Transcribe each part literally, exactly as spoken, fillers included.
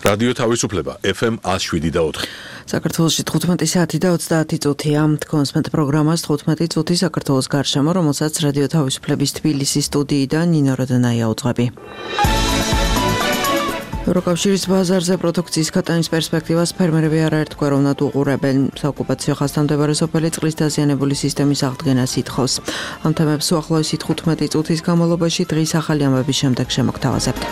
რადიო თავისუფლება ეფ ემ one oh seven და four. საქართველოში თხუთმეტი საათი და ოცდაათი წუთია. თქვენს პროგრამას თხუთმეტი წუთი საქართველოს გარშემო, რომელსაც რადიო თავისუფლების თბილისის სტუდიიდან ნინო როდანაია უძღვები. ევროკავშირის ბაზარზე პროდუქციის ქატანის პერსპექტივას ფერმერები არაერთგვაროვნად უყურებენ. საოკუპაციო ხასთან მდებარე სოფელი წყლის დაზიანებული სისტემის აღდგენას ითხოვს. ამ თემებს უახლოესი თხუთმეტი წუთის განმავლობაში დღის ახალი ამბების შემდეგ შემოგთავაზებთ.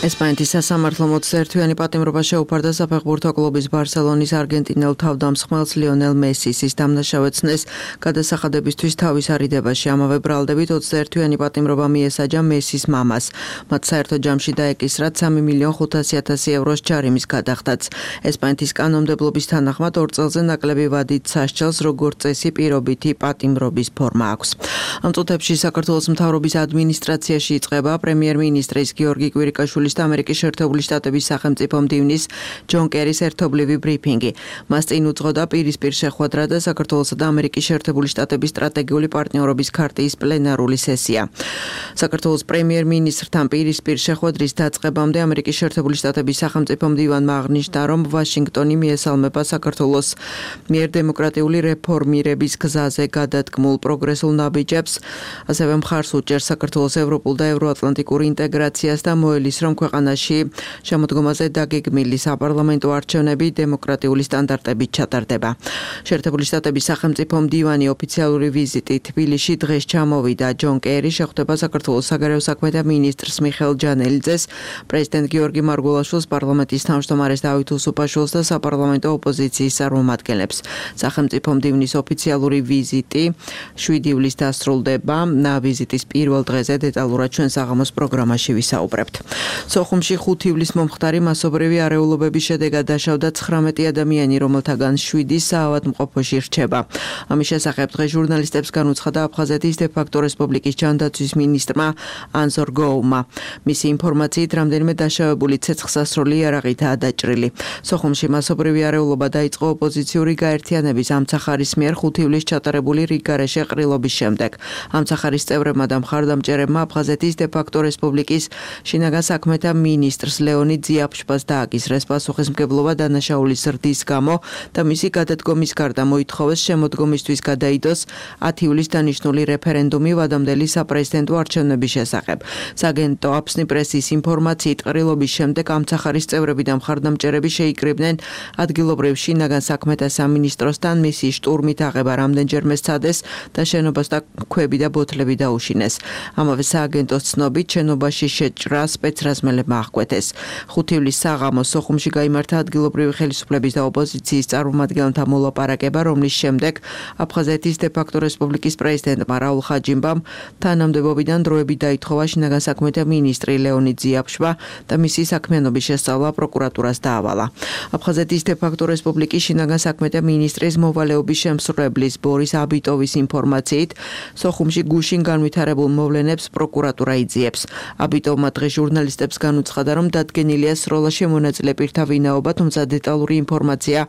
ესპანეთის სასამართლომ ოცდაერთთვიანი პატიმრობა შეუფარდა საფეხბურთო კლუბის ბარსელონის არგენტინელ თავდამსხმელს ლიონელ მესის. ის დამნაშავეცნეს გადასახადებისთვის თავის არიდებაში. ამავე ბრალდებით ოცდაერთთვიანი პატიმრობა მიესაჯა მესის მამას. მათ საერთო ჯამში დაეკისრათ სამი მილიონ ხუთასი ათასი ევროს ჯარიმის გადახდაც. ესპანეთის კანონმდებლობის თანახმად ორ წელზე ნაკლები ვადით სასჯელს, როგორც წესი პირობითი პატიმრობის ფორმა აქვს. ამ წუთებში საქართველოს მთავრობის ადმინისტრაციაში იწყება პრემიერ-მინისტრის გიორგი კვირიკაშვილის და ამერიკის შეერთებული შტატების სახელმწიფო მდივნის ჯონ კერის ერთობლივი ბრიფინგი. მას წინ უძღოდა პირისპირ შეხვედრა და საქართველოსა და ამერიკის შეერთებული შტატების სტრატეგიული პარტნიორობის ქარტიის პლენარული სესია. საქართველოს პრემიერ-მინისტრთან პირისპირ შეხვედრის დაწყებამდე ამერიკის შეერთებული შტატების სახელმწიფო მდივანმა აღნიშნა, რომ ვაშინგტონი მიესალმება საქართველოს მიერ დემოკრატიული რეფორმირების გზაზე გადადგმულ პროგრესულ ნაბიჯებს, ასევე მხარს უჭერს საქართველოს ევროპულ და ევროატლანტიკურ ინტეგრაციას და მოელის, რომ ქვეყანაში შემოდგომაზე დაგეგმილი საპარლამენტო არჩევნები დემოკრატიული სტანდარტებით ჩატარდება. შეერთებული შტატების სახელმწიფო მდივანი ოფიციალური ვიზიტი თბილისში დღეს ჩამოვიდა. ჯონ კერი შეხვდება საქართველოს საგარეო საქმეთა მინისტრს მიხეილ ჯანელიძეს, პრეზიდენტ გიორგი მარგველაშვილს, პარლამენტის თავმჯდომარეს დავით უსუპაშვილს და საპარლამენტო ოპოზიციის წარმომადგენლებს. სახელმწიფო მდივნის ოფიციალური ვიზიტი შვიდი ივლისს დასრულდება. ვიზიტის პირველ დღეზე დეტალურად ჩვენ საღამოს პროგრამაში ვისაუბრებთ. სოხუმში ხუთი ივლისს მომხდარი მასობრივი არეულობების შედეგად დაშავდა ცხრამეტი ადამიანი, რომელთაგან შვიდი საავადმყოფოში რჩება. ამის შესახებ დღეს ჟურნალისტებს განუცხადა აფხაზეთის დე-ფაქტო რესპუბლიკის ჯანდაცვის მინისტრმა ანზორ გოუმა. მისი ინფორმაციით, რამდენიმე დაშავებული ცეცხლსასროლი იარაღითაა დაჭრილი. სოხუმში მასობრივი არეულობა დაიწყო ოპოზიციური გაერთიანების ამცახარის მიერ ხუთი ივლისს ჩატარებული რიგგარეშე ყრილობის შემდეგ. ამცახარის წევრებმა და მხარდამჭერებმა აფხაზეთის დე-ფაქტო რესპუბლიკის შინაგან საქმეთა მინისტრს ლეონიდ ძიაფშპას დააკისრეს პასუხისმგებლობა დანაშაულის ზრდის გამო და მისი გადადგომის გარდა მოითხოვეს შემოდგომისთვის გადაიდოს ათი ივლისს დანიშნული რეფერენდუმი ვადამდელი საპრეზიდენტო არჩევნების შესახებ. სააგენტო აფსნი პრესის ინფორმაციით, ყრილობის შემდეგ ამცახარის წევრები და მხარდამჭერები შეიკრიბნენ ადგილობრივ შინაგან საქმეთა სამინისტროსთან, მისი შტურმით აღება რამდენჯერმე სცადეს და შენობას და ქვები და ბოთლები დაუშინეს. ამავე სააგენტოს ცნობით, შენობაში შეჭრა სპეცრაზმელებმა აღკვეთეს. ხუთი ივლისს საღამოს სოხუმში გაიმართა ადგილობრივი ხელისუფლების და ოპოზიციის წარმომადგენელთა მოლაპარაკება, რომლის შემდეგ აფხაზეთის დე-ფაქტო რესპუბლიკის პრეზიდენტმა რაულ ხაჯიმბამ თანამდებობიდან დროებით დაითხოვა შინაგან საქმეთა მინისტრი ლეონიდ ძიაფშვა და მისი საქმიანობის შესწავლა პროკურატურას დაავალა. აფხაზეთის დე-ფაქტო რესპუბლიკის შინაგან საქმეთა მინისტრის მოვალეობის შემსრულებლის ბორის აბიტოვის ინფორმაციით, სოხუმში გუშინ განვითარებულ მოვლენებს პროკურატურა იძიებს. აბიტოვმა დღეს ჟურნალისტებს განუცხადა, რომ დადგენილია სროლაში მონაწილე პირთა ვინაობა, თუმცა დეტალური ინფორმაცია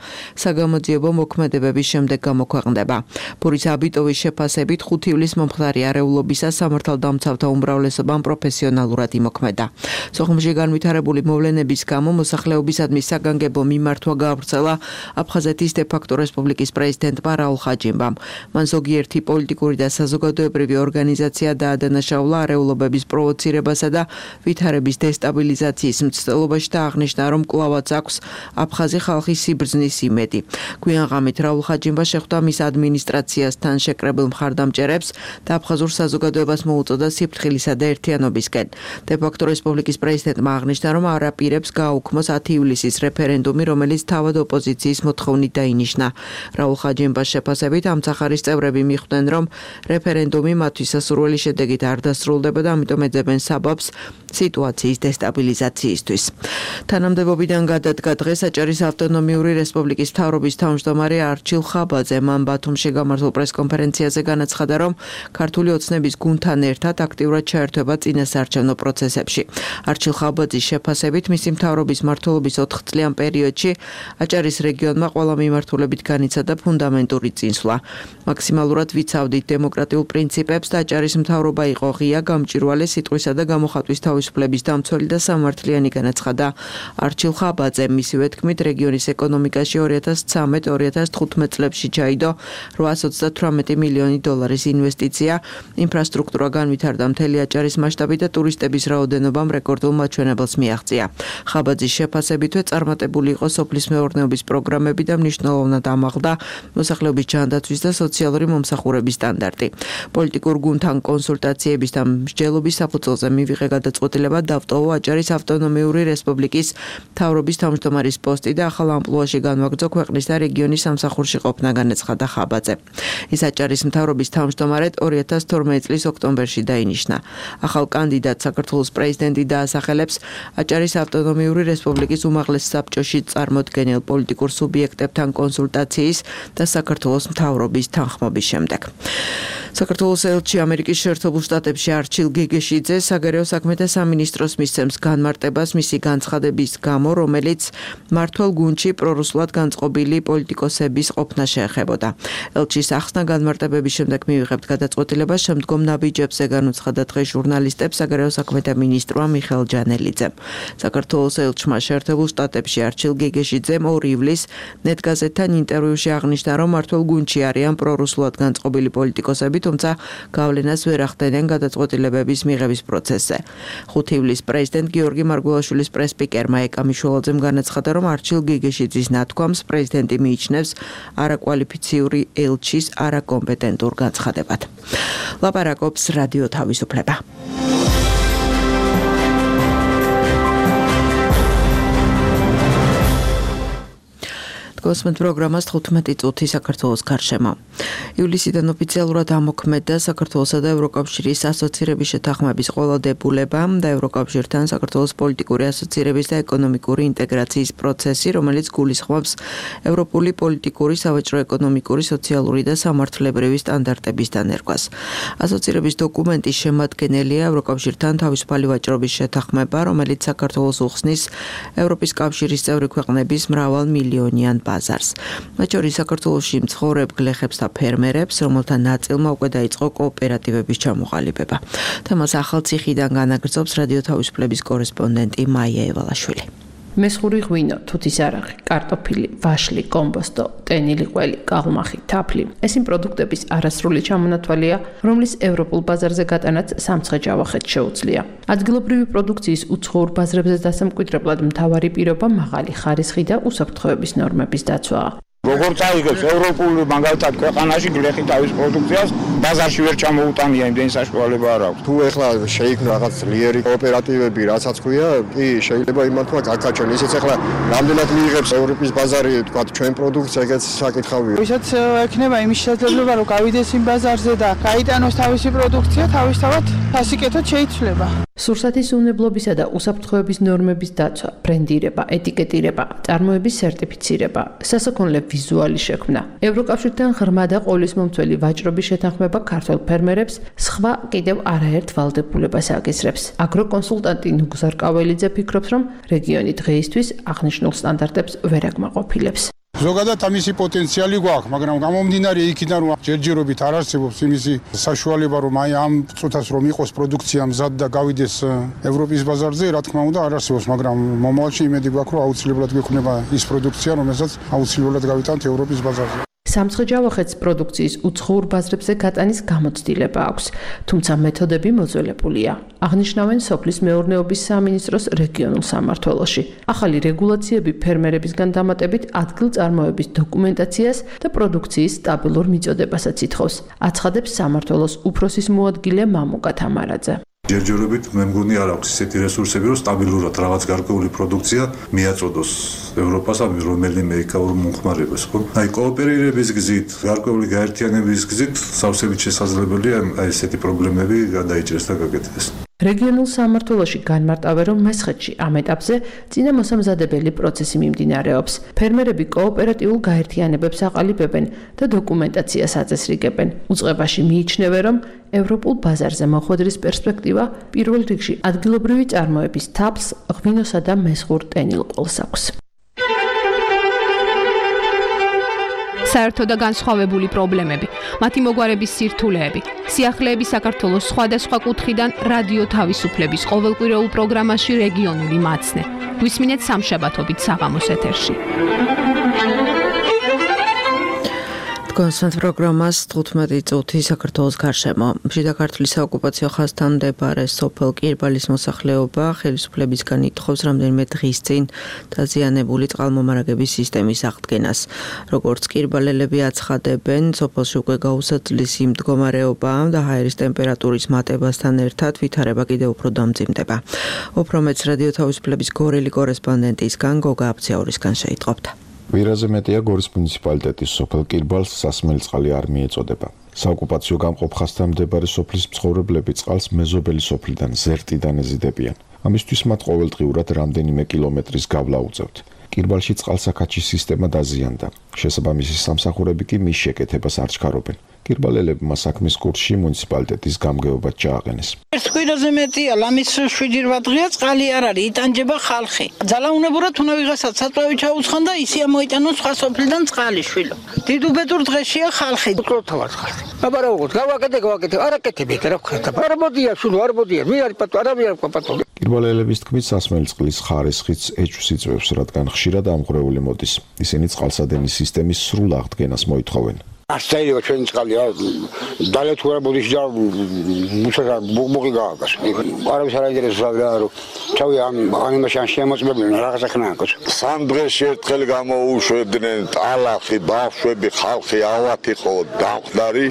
საგამოძიებო მოქმედებების შემდეგ გამოქვეყნდება. ბურის აბიტოვის შეფასებით, ხუთი ივლისს მომხდარი არეულობისა სამართალდამცავთა უმრავლესობამ პროფესიონალურად იმოქმედა. სოხუმში განვითარებული მოვლენების გამო მოსახლეობისადმი საგანგებო მიმართვა გაავრცელა აფხაზეთის დე-ფაქტო რესპუბლიკის პრეზიდენტმა რაულ ხაჯიმბამ. მან ზოგიერთი პოლიტიკური და საზოგადოებრივი ორგანიზაცია დაადანაშაულა არეულობების პროვოცირებასა და ვითარების დესტაბილიზაციის მცდელობაში და აღნიშნა, რომ კვლავაც აქვს აფხაზი ხალხის სიბრძნის იმედი. გვიან ღამით რაულ ხაჯიმბა შეხვდა მის ადმინისტრაციასთან შეკრებილ მხარდამჭერებს და აფხაზურ საზოგადოებას მოუწოდა სიფრთხილისა და ერთიანობისკენ. დე-ფაქტო რესპუბლიკის პრეზიდენტმა აღნიშნა, რომ არაპირებს გააუქმოს ათი ივლისის რეფერენდუმი, რომელიც თავად ოპოზიციის მოთხოვნით დაინიშნა. რაულ ხაჯიმბას შეფასებით, ამცახარის წევრები მიხვდნენ, რომ რეფერენდუმი მათთვის სასურველი შედეგით არ დასრულდება და ამიტომ ეძებენ საბაბს სიტუაციის დესტაბილიზაციისთვის. თანამდებობიდან გადადგა დღეს აჭარის ავტონომიური რესპუბლიკის მთავრობის თავმჯდომარე არჩილ ხაბაძე. მან ბათუმში გამართულ პრესკონფერენციაზე განაცხადა, რომ ქართული ოცნების გუნდთან ერთად აქტიურად ჩაერთვება წინასაარჩევნო პროცესებში. არჩილ ხაბაძის შეფასებით მისი მთავრობის მმართველობის ოთხ წლიან პერიოდში აჭარის რეგიონმა ყველა მიმართულებით განიცადა ფუნდამენტური წინსვლა. მაქსიმალურად ვიცავდით დემოკრატიულ პრინციპებს და აჭარის მთავრობა იყო ღია, გამჭვირვალე, სიტყვისა და გამოხატვის თავისუფლების დამცველი და სამართლიანი, განაცხადა არჩილ ხაბაძე. მისივე თქმით, რეგიონის ეკონომიკაში ორი ათას ცხრამეტ ორი ათას თხუთმეტ წლებში ჩაიდო რვაას ოცდათვრამეტი მილიონი დოლარის ინვესტიცია, ინფრასტრუქტურა განვითარდა მთელი აჭარის მასშტაბით და ტურისტების რაოდენობამ რეკორდულ მაჩვენებელს მიაღწია. ხაბაძის შეფასებითვე წარმატებული იყო სოფლის მეურნეობის პროგრამები და მნიშვნელოვნად ამაღლდა მოსახლეობის ჯანდაცვის და სოციალური მომსახურების სტანდარტი. პოლიტიკურ გუნდთან კონსულტაციების და მსჯელობის საფუძველზე მივიღე გადაწყვეტილება დავტოვო აჭარის ავტონომიური რესპუბლიკის მთავრობის თავმჯდომარის პოსტი და ახალ ამპლუაში განვაგრძო ქვეყნის და რეგიონის სამსახურში ყოფნა, განაცხადა ხაბაძე. ის აჭარის მთავრობის თავმჯდომარედ ორი ათას თორმეტი წლის ოქტომბერში დაინიშნა. ახალ კანდიდატ საქართველოს პრეზიდენტი დაასახელებს აჭარის ავტონომიური რესპუბლიკის უმაღლეს საბჭოში წარმოდგენილ პოლიტიკურ სუბიექტებთან კონსულტაციის და საქართველოს მთავრობის თანხმობის შემდეგ. საქართველოს ელჩი ამერიკის შეერთებულ შტატებში არჩილ გეგეშიძე საგარეო საქმეთა სამინისტროს მისცემს განმარტებას მისი განცხადების გამო, რომელიც მმართველ გუნდში პრორუსულად განწყობილი პოლიტიკოსების ყოფნა შეეხებოდა. ელჩის ახსნა განმარტებების შემდეგ მივიღებთ გადაწყვეტილებას შემდგომ ნაბიჯებზე, განუცხადა დღეს ჟურნალისტებს საგარეო საქმეთა მინისტრმა მიხეილ ჯანელიძემ. საქართველოს ელჩმა შეერთებულ შტატებში არჩილ გეგეშიძემ ორი ივლისს ნეტგაზეთთან ინტერვიუში აღნიშნა, რომ მმართველ გუნდში არიან პრორუსულად განწყობილი პოლიტიკოსები, თუმცა გავლენას ვერ ახდენენ გადაწყვეტილებების მიღების პროცესზე. ხუთი ივლისს პრეზიდენტ გიორგი მარგველაშვილის პრესსპიკერმა ეკა მიშველაძემ განაცხადა, რომ არჩილ გეგეშიძის ნათქვამს პრეზიდენტი მიიჩნევს არაკვალიფიციური ელჩის არაკომპეტენტურ განცხადებად. ლაპარაკობს რადიო თავისუფლება. კოსმეთ პროგრამას თხუთმეტი წუთი საქართველოს გარშემო. ივლისიდან ოფიციალურად ამოქმედდა საქართველოსა და ევროკავშირის ასოცირების შეთანხმების ყველა დებულება და ევროკავშირთან საქართველოს პოლიტიკური ასოცირების და ეკონომიკური ინტეგრაციის პროცესი, რომელიც გულისხმობს ევროპული პოლიტიკური, სავაჭრო-ეკონომიკური, სოციალური და სამართლებრივი სტანდარტების დანერგვას. ასოცირების დოკუმენტის შემადგენელია ევროკავშირთან თავისუფალი ვაჭრობის შეთანხმება, რომელიც საქართველოს უხსნის ევროპის კავშირის წევრი ქვეყნების მრავალ მილიონიან ბაზარს. მათ შორის საქართველოში მცხოვრებ გლეხებს და ფერმერებს, რომელთა ნაწილმა უკვე დაიწყო კოოპერატივების ჩამოყალიბება. თემას ახალციხიდან განაგრძობს რადიო თავისუფლების კორესპონდენტი მაია ევალაშვილი. მესხური ღვინო, თუთის არაღი, კარტოფილი, ვაშლი, კომბოსტო, ტენილი ყველი, კალმახი, თაფლი. ეს იმ პროდუქტების არასრული ჩამონათვალია, რომლის ევროპულ ბაზარზე გატანაც სამცხე-ჯავახეთს შეუძლია. ადგილობრივი პროდუქციის უცხოურ ბაზრებზე დასამკვიდრებლად მთავარი პირობა მაღალი ხარისხი და უსაფრთხოების ნორმების დაცვაა. როგორც აიგებს ევროპულ მაგალითად ქვეყანაში გლეხი თავის პროდუქციას ბაზარში ვერ ჩამოუტანია, იმდენი საშუალება არ აქვს. თუ ეხლა შეიქმნა რაღაც ძლიერი კოოპერატივები, რასაც ქვია, კი შეიძლება იმართვა გაკაჩონ. ისიც ეხლა რამდენად მიიღებს ევროპის ბაზარი, თქვა ჩვენ პროდუქცია, ეგეც საკითხავია. ვისაც ექნება იმის შესაძლებლობა, რომ გავიდეს იმ ბაზარზე და გაიტანოს თავისი პროდუქცია, თავისთავად ფასიკეთად შეიცვლება. სურსათის უნებლობისა და უსაფრთხოების ნორმების დაცვა, ბრენდირება, ეტიკეტირება, წარმოების სერტიფიცირება, სასაქონლე ვიზუალი შექმნა. ევროკავშირთან ღრმა და ყოვლისმომცველი ვაჭრობის შეთანხმება ქართველ ფერმერებს სხვა კიდევ არაერთ ვალდებულებას აკისრებს. აგროკონსულტანტი ნუგზარ კაველიძე ფიქრობს, რომ რეგიონი დღეისთვის აღნიშნულ სტანდარტებს ვერ აკმაყოფილებს. ზოგადად ამისი პოტენციალი გვაქვს, მაგრამ გამომდინარე იქიდან რომ ჯერჯერობით არ არსებობს იმისი საშუალება, რომ აი ამ წუთას რომ იყოს პროდუქცია მზად და გავიდეს ევროპის ბაზარზე, რა თქმა უნდა არ არსებობს, მაგრამ მომავალში იმედი გვაქვს, რომ აუცილებლად გვექნება ის პროდუქცია, რომელსაც აუცილებლად გავიტანთ ევროპის ბაზარზე. სამცხე-ჯავახეთს პროდუქციის უცხოურ ბაზრებზე გატანის გამოცდილება აქვს, თუმცა მეთოდები მოძველებულია. აღნიშნავენ სოფლის მეურნეობის სამინისტროს რეგიონულ სამმართველოში. ახალი რეგულაციები ფერმერებისგან დამატებით ადგილწარმოების დოკუმენტაციას და პროდუქციის სტაბილურ მიწოდებასაც ითხოვს. აცხადებს სამმართველოს უფროსის მოადგილე მამუკა თამარაძე. ჯერჯერობით მე მგონი არ აქვს ისეთი რესურსები, რომ სტაბილურად რაღაც გარკვეული პროდუქცია მიაწოდოს ევროპას, ამ რომელიმე ეკაურ მომხმარებას, ხო? აი კოოპერირების გზით, გარკვეული გაერთიანების გზით სავსებით შესაძლებელია აი ესეთი პრობლემები გადაიჭრეს და გაკეთდეს. რეგიონულ სამმართველოში განმარტავენ, რომ მესხეთში ამ ეტაპზე წინა მოსამზადებელი პროცესი მიმდინარეობს. ფერმერები კოოპერატიულ გაერთიანებებს აყალიბებენ და დოკუმენტაციას აწესრიგებენ. უწყებაში მიიჩნევენ, რომ ევროპულ ბაზარზე მოხვედრის პერსპექტივა პირველ რიგში ადგილობრივი წარმოების თაფლს, ღვინოსა და მესხურ ტენილყოლს აქვს. საერთო და განსხვავებული პრობლემები, მათი მოგვარების სირთულეები, სიახლეები საქართველოს სხვადასხვა კუთხიდან რადიო თავისუფლების ყოველკვირეულ პროგრამაში რეგიონული მაცნე. გვისმინეთ სამშაბათობით საღამოს ეთერში. კონსტანტ პროგრამას თხუთმეტი წუთი საქართველოს გარშემო. შიდა ქართლის საოკუპაციო ხაზთან მდებარე სოფელ კირბალის მოსახლეობა ხელისუფლებისგან ითხოვს რამდენიმე დღის წინ დაზიანებული წყალმომარაგების სისტემის აღდგენას. როგორც კირბალელები აცხადებენ, სოფელში უკვე გაუსაძლის იმ მდგომარეობა და ჰაერის ტემპერატურის მატებასთან ერთად ვითარება კიდევ უფრო დამძიმდება. უფრო მეც რადიო თავისუფლების გორელი კორესპონდენტისგან გოგა აბციაურისგან შეიტყობთ. ვირაზე მეტია გორის მუნიციპალიტეტის სოფელ კირბალს სასმელი წყალი არ მიეწოდება. საოკუპაციო გამყოფ ხაზთან მდებარე სოფლის მცხოვრებლები წყალს მეზობელი სოფლიდან ზერტიდან ეზიდებიან. ამისთვის მათ ყოველდღიურად რამდენიმე კილომეტრის გავლა უწევთ. კირბალში წყალსაკაჩის სისტემა დაზიანდა. შესაბამისი სამსახურები კი მის შეკეთებას არ ჩქარობენ. კირბალელებმა საქმის კურსში მუნიციპალიტეტის გამგეობა ჩააყენეს. ერთ კვირაზე მეტია, ლამის შვიდი რვა დღეა წყალი არ არის, იტანჯება ხალხი. ძალაუნებურად უნდა ვიღასაც საწვავი ჩაუცხან და ისე მოიტანოს სხვა სოფლიდან წყალი შვილო. დიდუბედურ დღეშია ხალხი. უწყლოთავად ხალხი. აბარაუღოთ, გავაკეთე, გავაკეთე, არაკეთებით რა ხარ. არ მოდია, შვილო, არ მოდია, მე არის პატო, არავინ არ პატო. კირბალელების თქმით, სასმელი წყლის ხარისხიც ეჭვს იწვევს, რადგან ხშირად ამღვრეული მოდის. ისინი წყალსადენის სისტემის სრულ აღდგენას მოითხოვენ. ასწაიო ჩვენი წყალი დალეთ უარ ბოდიში და მუშაკა ბუღბუღი გააკას. არავის არ აინტერესებს რა რომ ჩავი ამ ანიმაში ან შემოწმებდნენ რაღაცა ხნაკოს. სამ დღეში ერთხელ გამოუშვებდნენ ტალახი, ბავშვები, ხალხი ავათი ხო დამხდარი.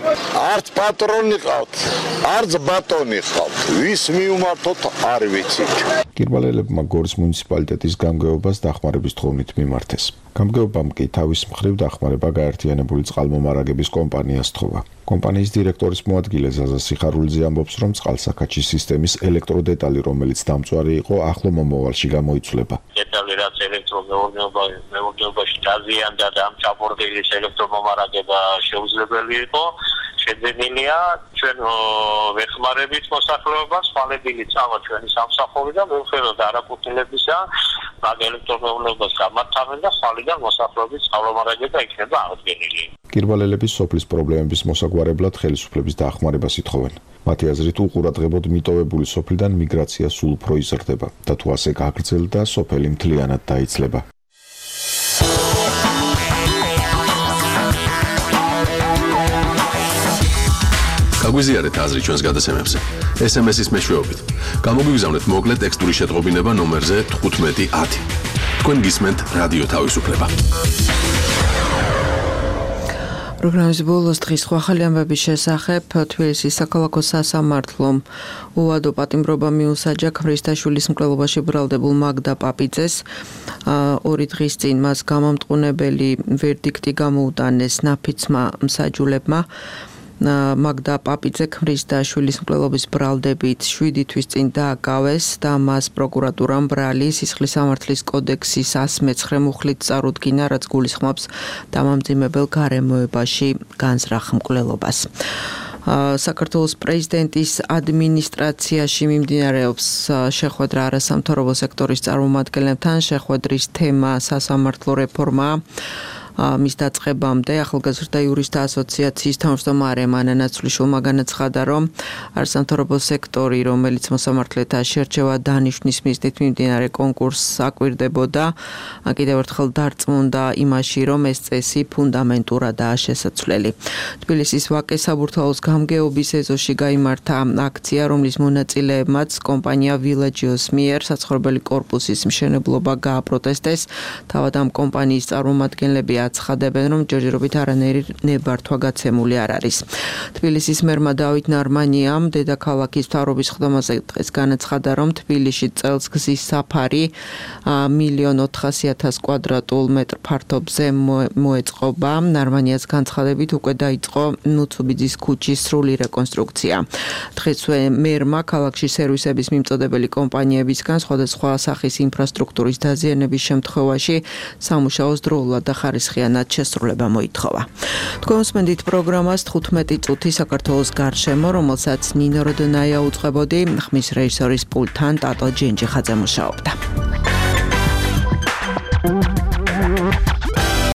არც პატრონი ყავთ, არც ბატონი ყავთ. ვის მიუმართოთ არ ვიცით. კირბალელებმა გორის მუნიციპალიტეტის გამგეობას დახმარების თხოვნით მიმართეს. გამგეობამ კი თავის მხრივ დახმარება გაერთიანებული წყალმომარაგების კომპანიას თხოვა. კომპანიის დირექტორის მოადგილე ზაზა სიხარულიძე ამბობს, რომ წყალსაკაჩის სისტემის ელექტროდეტალი, რომელიც დამწვარი იყო, ახლო მომავალში გამოიცვლება. დეტალი რაც ელექტრომეურნეობაში დაზიანდა და ამ ჩაბორდილის ელექტრომომარაგება შეუძლებელი იყო, შეძენილია ჩვენ ვეხმარებით მოსახლეობას, ხვალებილი წავა ჩვენი სამსახური და მიუხედავად არაკუთვნილებისა, მაგ ელექტრომეურნეობას გამართავენ და ხვალიდან მოსახლეობის წყალმომარაგება იქნება აღდგენილი. კირბალელების სოფლის პრობლემების მოსაგვარებლად ხელისუფლების დახმარებას ითხოვენ. მათი აზრით, უყურადღებოდ მიტოვებული სოფლიდან მიგრაცია სულ უფრო იზრდება და თუ ასე გაგრძელდა, სოფელი მთლიანად დაიცლება. გაგვიზიარეთ აზრი ჩვენს გადაცემებზე. ეს ემ ეს-ის მეშვეობით. გამოგვიგზავნეთ მოკლე ტექსტური შეტყობინება ნომერზე თხუთმეტი ათი. თქვენ გისმენთ რადიო თავისუფლება. პროგრამის ბოლოს დღის სხვა ახალი ამბების შესახებ თბილისის საქალაქო სასამართლომ უვადო პატიმრობა მიუსაჯა ქმრისტაშვილის მკვლელობაში ბრალდებულ მაგდა პაპიძეს. ორი დღის წინ მას გამამტყუნებელი ვერდიქტი გამოუტანეს ნაფიცმა მსაჯულებმა. მაგდა პაპიძე ქმრისტაშვილის მკვლელობის ბრალდებით შვიდი თვის წინ დააკავეს და მას პროკურატურამ ბრალი სისხლის სამართლის კოდექსის ას მეცხრე მუხლით წარუდგინა, რაც გულისხმობს დამამძიმებელ გარემოებაში განზრახ მკვლელობას. საქართველოს პრეზიდენტის ადმინისტრაციაში მიმდინარეობს შეხვედრა არასამთავრობო სექტორის წარმომადგენლებთან. შეხვედრის თემა სასამართლო რეფორმაა. მის დაწყებამდე ახალგაზრდა იურისტთა ასოციაციის თავმჯდომარე მანა ნაცვლიშვილმა განაცხადა, რომ არასამთავრობო სექტორი, რომელიც მოსამართლეთა შერჩევა დანიშვნის მიზნით მიმდინარე კონკურსს აკვირდებოდა, კიდევ ერთხელ დარწმუნდა იმაში, რომ ეს წესი ფუნდამენტურადაა შესაცვლელი. თბილისის ვაკეს საბურთალოს გამგეობის ეზოში გაიმართა აქცია, რომლის მონაწილეებმაც კომპანია ვილაჯიოს მიერ საცხოვრებელი კორპუსის მშენებლობა გააპროტესტეს. თავად ამ კომპანიის წარმომადგენლები აცხადებენ, რომ ჯერჯერობით არანაირი ნებართვა გაცემული არ არის. თბილისის მერმა დავით ნარმანიამ დედაქალაქის მთავრობის ხდომაზე დღეს განაცხადა, რომ თბილისში წელს გზის საფარი მილიონ ოთხასი ათას კვადრატულ მეტრ ფართობზე მოეწყობა. ნარმანიას განცხადებით უკვე დაიწყო ნუცუბიძის ქუჩის სრული რეკონსტრუქცია. დღესვე მერმა ქალაქში სერვისების მიმწოდებელი კომპანიებისგან სხვადასხვა სახის ინფრასტრუქტურის დაზიანების შემთხვევაში სამუშაოს დროულად და ხარისხიანად შესრულება მოითხოვა. თქვენ უსმენთ პროგრამას თხუთმეტი წუთი საქართველოს გარშემო, რომელსაც ნინო როდონაია უწყებოდი, ხმის რეჟისორის პულტთან ტატო ჯენჯიხაძე მუშაობდა.